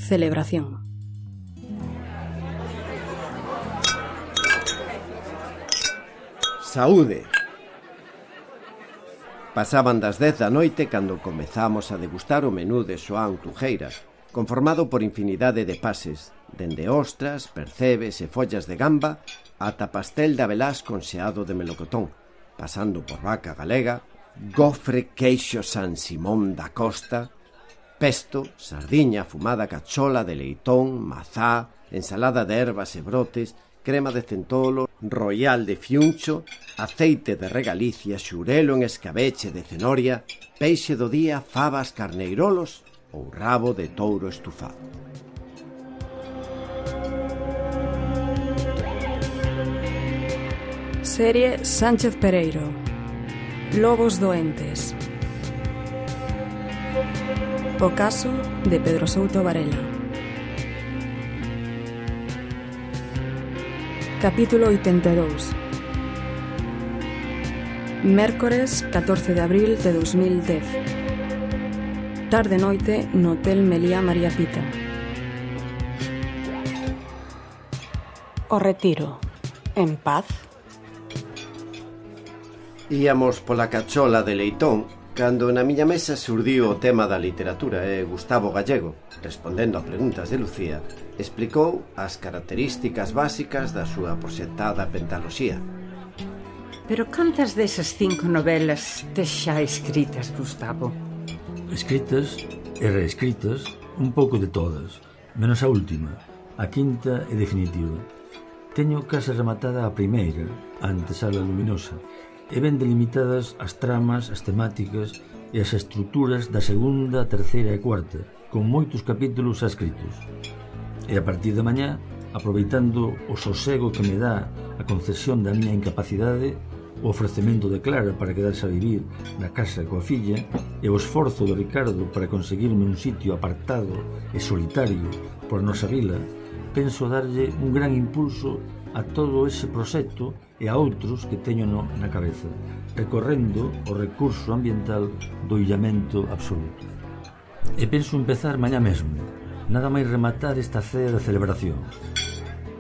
Celebración. Saúde! Pasaban das 10 da noite cando comezamos a degustar o menú de Xoán Clujeira, conformado por infinidade de pases, dende ostras, percebes e follas de gamba ata pastel de abelás con xeado de melocotón, pasando por vaca galega, gofre queixo San Simón da Costa, pesto, sardiña fumada cachola de leitón, mazá, ensalada de ervas e brotes, crema de centolo, royal de fiuncho, aceite de regalicia, xurelo en escabeche de cenoria, peixe do día, fabas, carneirolos ou rabo de touro estufado. Serie Sánchez Pereiro. Lobos doentes. O caso de Pedro Souto Varela. Capítulo 82. Mércores 14 de abril de 2010. Tarde-noite no Hotel Meliá María Pita. O retiro. En paz. Íamos pola cachola de leitón cando na miña mesa surdiu o tema da literatura e Gustavo Gallego, respondendo a preguntas de Lucía, explicou as características básicas da súa proxectada pentaloxía. Pero cantas desas 5 novelas tes xa escritas, Gustavo? Escritas e reescritas, un pouco de todas, menos a última, a quinta e definitiva. Teño case rematada a primeira, a antesala luminosa, e ben delimitadas as tramas, as temáticas e as estruturas da segunda, terceira e cuarta, con moitos capítulos xa escritos. E a partir de mañá, aproveitando o sosego que me dá a concesión da miña incapacidade, o ofrecemento de Clara para quedarse a vivir na casa coa filla e o esforzo de Ricardo para conseguirme un sitio apartado e solitario por nosa vila, penso darlle un gran impulso a todo ese proxecto e a outros que teño na cabeza, recorrendo o recurso ambiental do illamento absoluto. E penso empezar mañá mesmo, nada máis rematar esta cea de celebración,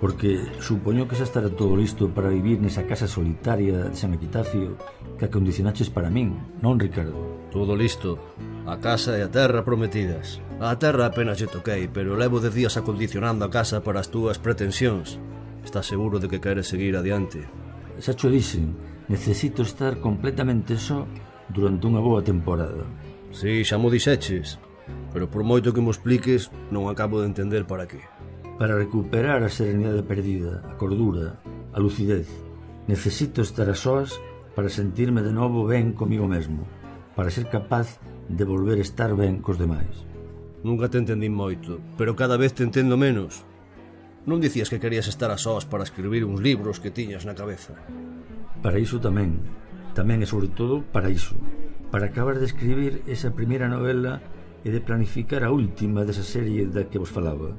porque supoño que xa estará todo listo para vivir nesa casa solitaria de San Epitafio que acondicionaches para min, non, Ricardo? Todo listo, a casa e a terra prometidas. A terra apenas lle toquei, pero levo 10 días acondicionando a casa para as túas pretensións. Estás seguro de que queres seguir adiante? Xa cho dixen, necesito estar completamente só durante unha boa temporada. Si, xa mo dixeches, pero por moito que mo expliques, non acabo de entender para qué. Para recuperar a serenidade perdida, a cordura, a lucidez, necesito estar a soas para sentirme de novo ben comigo mesmo, para ser capaz de volver a estar ben cos demais. Nunca te entendín moito, pero cada vez te entendo menos. Non dicías que querías estar a sós para escribir uns libros que tiñas na cabeza? Para iso tamén e sobre todo para iso, para acabar de escribir esa primeira novela e de planificar a última desa serie da que vos falaba,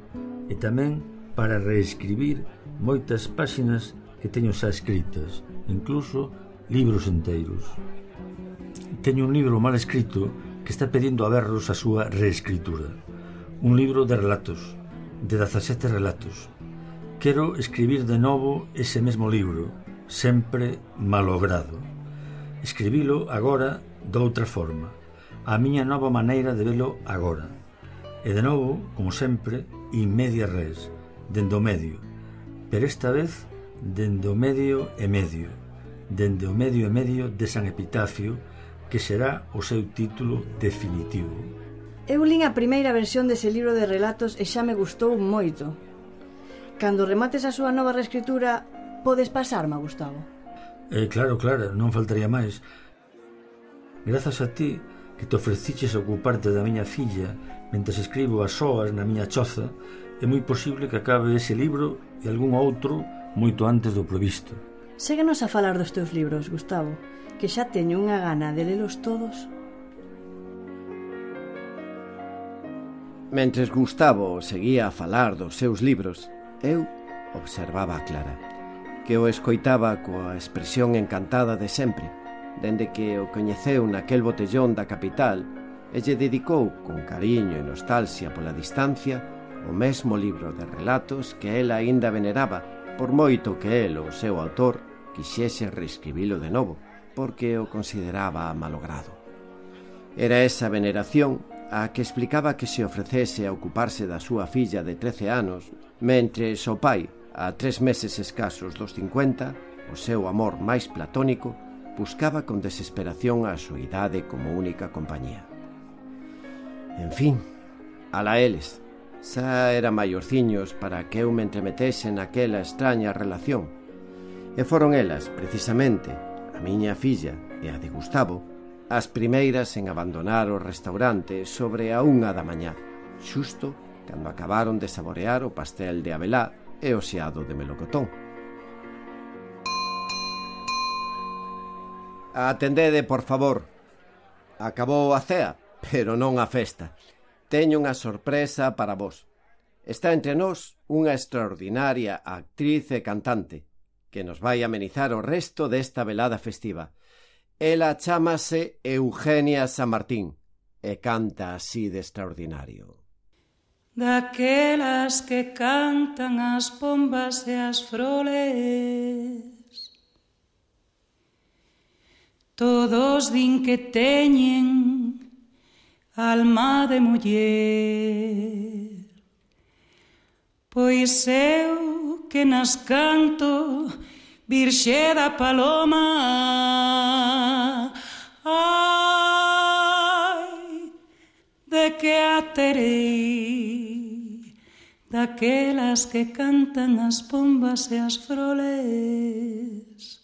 e tamén para reescribir moitas páxinas que teño xa escritas, incluso libros enteiros. Teño un libro mal escrito que está pedindo a berros a súa reescritura, un libro de relatos, de 17 relatos. Quero escribir de novo ese mesmo libro, sempre malogrado. Escribilo agora doutra forma, a miña nova maneira de velo agora. E de novo, como sempre, in media res, dende o medio. Pero esta vez, dende o medio e medio. Dende o medio e medio de San Epitafio, que será o seu título definitivo. Eu lín a primeira versión dese libro de relatos e xa me gustou moito. Cando remates a súa nova reescritura, podes pasarme, Gustavo? Claro, non faltaría máis. Grazas a ti que te ofreciches a ocuparte da miña filla mentres escribo as soas na miña choza, é moi posible que acabe ese libro e algún outro moito antes do previsto. Séguenos a falar dos teus libros, Gustavo, que xa teño unha gana de lelos todos. Mentres Gustavo seguía a falar dos seus libros, eu observaba a Clara, que o escoitaba coa expresión encantada de sempre, dende que o coñeceu naquel botellón da capital e lle dedicou, con cariño e nostalgia pola distancia, o mesmo libro de relatos que ela aínda veneraba, por moito que el, o seu autor, quixese reescribilo de novo, porque o consideraba malogrado. Era esa veneración a que explicaba que se ofrecese a ocuparse da súa filla de 13 anos, mentres o pai, a 3 meses escasos dos 50, o seu amor máis platónico, buscaba con desesperación a súa idade como única compañía. En fin, alá eles, xa era maiorciños para que eu me entremetese naquela extraña relación. E foron elas, precisamente, a miña filla e a de Gustavo, as primeiras en abandonar o restaurante sobre a 1 da mañá, xusto cando acabaron de saborear o pastel de abelá e o xeado de melocotón. Atendede, por favor. Acabou a cea, pero non a festa. Teño unha sorpresa para vos. Está entre nós unha extraordinaria actriz e cantante que nos vai amenizar o resto desta velada festiva. Ela chámase Eugenia San Martín e canta así de extraordinario. Daquelas que cantan as pombas e as froles, todos din que teñen alma de muller, pois eu que nas canto Virxe da Paloma, ai, de que a terei, daquelas que cantan as pombas e as froles,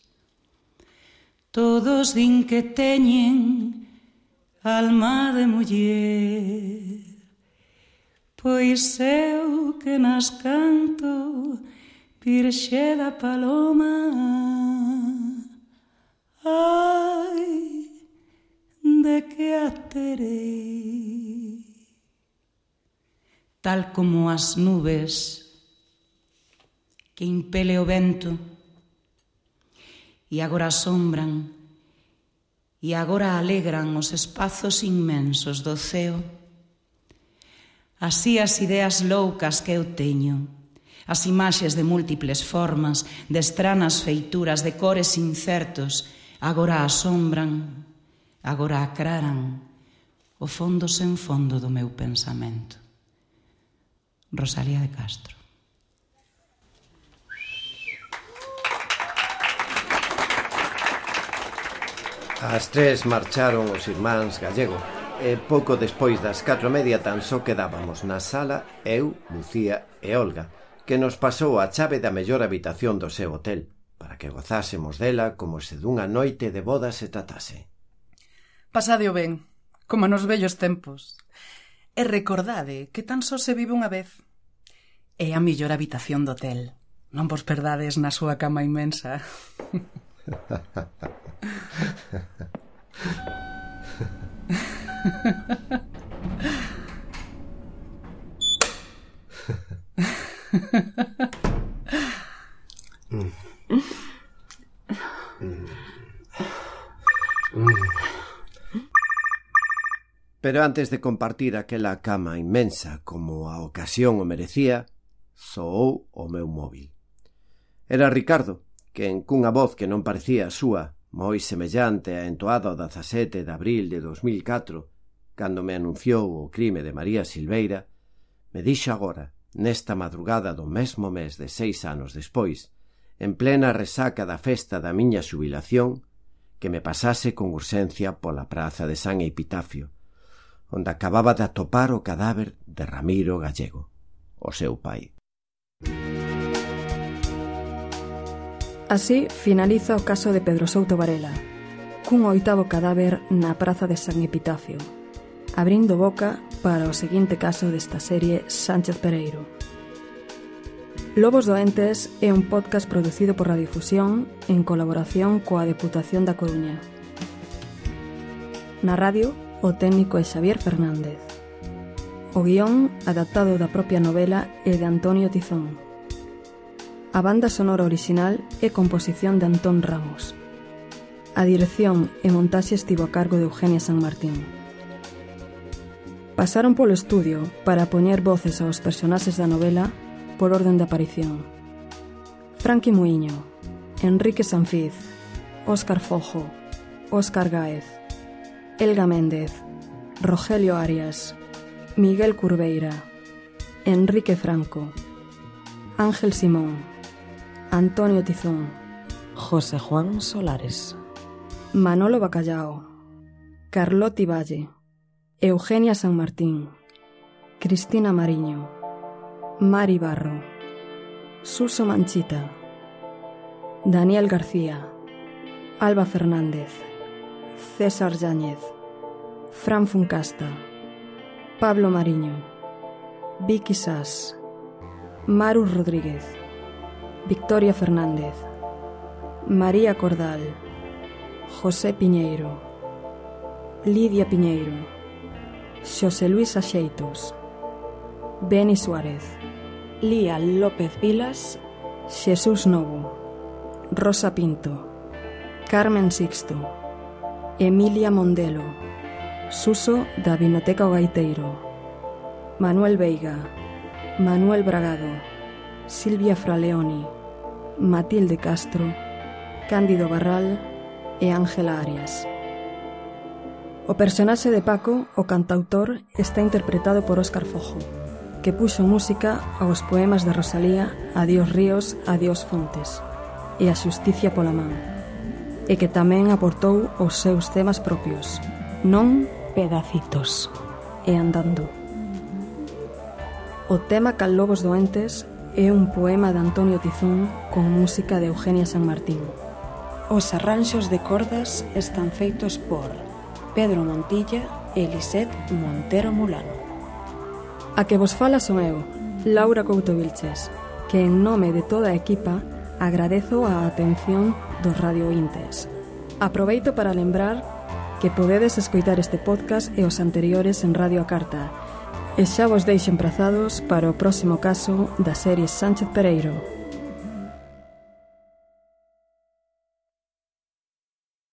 todos din que teñen alma de muller, pois eu que nas canto Virxe da Paloma, ai, de que a terei. Tal como as nubes que impele o vento e agora asombran e agora alegran os espazos inmensos do ceo, así as ideas loucas que eu teño, as imaxes de múltiples formas, de estranas feituras, de cores incertos, agora asombran, agora aclaran o fondo sen fondo do meu pensamento. Rosalía de Castro. As 3 marcharon os irmáns Gallego e pouco despois das 4:30 tan só quedábamos na sala eu, Lucía e Olga, que nos pasou a chave da mellor habitación do seu hotel, para que gozásemos dela como se dunha noite de boda se tratase. Pasadeo ben, como nos vellos tempos. E recordade que tan só se vive unha vez. É a mellor habitación do hotel. Non vos perdades na súa cama inmensa. Pero antes de compartir aquela cama inmensa como a ocasión o merecía, soou o meu móvil. Era Ricardo, que cunha voz que non parecía a súa, moi semellante a entoada o 17 de abril de 2004, cando me anunciou o crime de María Silveira, me dixo agora, nesta madrugada do mesmo mes de 6 anos despois, en plena resaca da festa da miña xubilación, que me pasase con urxencia pola praza de San Epitafio, onde acababa de atopar o cadáver de Ramiro Gallego, o seu pai. Así finaliza o caso de Pedro Souto Varela, cun 8º cadáver na praza de San Epitafio, abrindo boca para o seguinte caso desta serie Sánchez Pereiro. Lobos Doentes é un podcast producido por Radiodifusión en colaboración coa Deputación da Coruña. Na radio, o técnico é Xavier Fernández. O guión, adaptado da propia novela, é de Antonio Tizón. A banda sonora original é composición de Antón Ramos. A dirección e montaxe estivo a cargo de Eugenia San Martín. Pasaron polo estudio para poñer voces aos personaxes da novela por orden de aparición. Franqui Muiño, Enrique Sanfiz, Óscar Fojo, Óscar Gáez, Elga Méndez, Rogelio Arias, Miguel Curveira, Enrique Franco, Ángel Simón, Antonio Tizón, José Juan Solares, Manolo Bacallao, Carloti Valle, Eugenia San Martín, Cristina Mariño, Mari Barro, Suso Manchita, Daniel García, Alba Fernández, César Yáñez, Fran Funcasta, Pablo Mariño, Vicky Sass, Maru Rodríguez, Victoria Fernández, María Cordal, José Piñeiro, Lidia Piñeiro, Xosé Luis Axeitos, Beni Suárez, Lía López Vilas, Xesús Novo, Rosa Pinto, Carmen Sixto, Emilia Mondelo, Suso da Vinoteca O Gaiteiro, Manuel Veiga, Manuel Bragado, Silvia Fraleoni, Matilde Castro, Cándido Barral e Ángela Arias. O personaxe de Paco, o cantautor, está interpretado por Óscar Fojo, que puxo música aos poemas de Rosalía Adiós ríos, adiós fontes e A xusticia pola man, e que tamén aportou os seus temas propios, Non, Pedacitos e Andando. O tema Cal lobos doentes é un poema de Antonio Tizón con música de Eugenia San Martín. Os arranxos de cordas están feitos por Pedro Montilla e Lisette Montero Mulano. A que vos fala son eu, Laura Couto Vilches, que en nome de toda a equipa agradezo a atención dos radiointes. Aproveito para lembrar que podedes escoitar este podcast e os anteriores en Radio A Carta, e xa vos deixo emprazados para o próximo caso da serie Sánchez Pereiro.